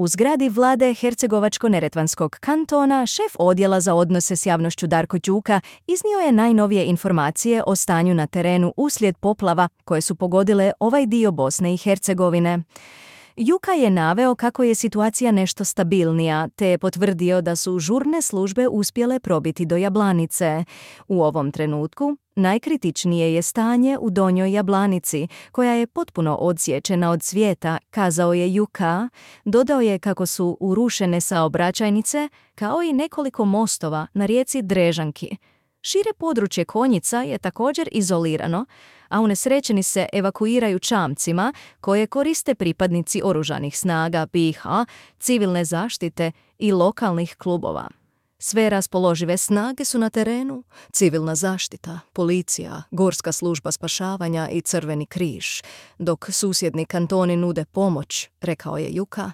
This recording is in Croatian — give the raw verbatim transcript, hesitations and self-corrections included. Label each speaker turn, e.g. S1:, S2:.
S1: U zgradi vlade Hercegovačko-neretvanskog kantona šef odjela za odnose s javnošću Darko Đuka iznio je najnovije informacije o stanju na terenu uslijed poplava koje su pogodile ovaj dio Bosne i Hercegovine. Juka je naveo kako je situacija nešto stabilnija, te je potvrdio da su žurne službe uspjele probiti do Jablanice. U ovom trenutku najkritičnije je stanje u Donjoj Jablanici, koja je potpuno odsječena od svijeta, kazao je Juka. Dodao je kako su urušene saobraćajnice, kao i nekoliko mostova na rijeci Drežanki. Šire područje Konjica je također izolirano, a unesrećeni se evakuiraju čamcima koje koriste pripadnici oružanih snaga B i H, civilne zaštite i lokalnih klubova. Sve raspoložive snage su na terenu, civilna zaštita, policija, Gorska služba spašavanja i Crveni križ, dok susjedni kantoni nude pomoć, rekao je Juka.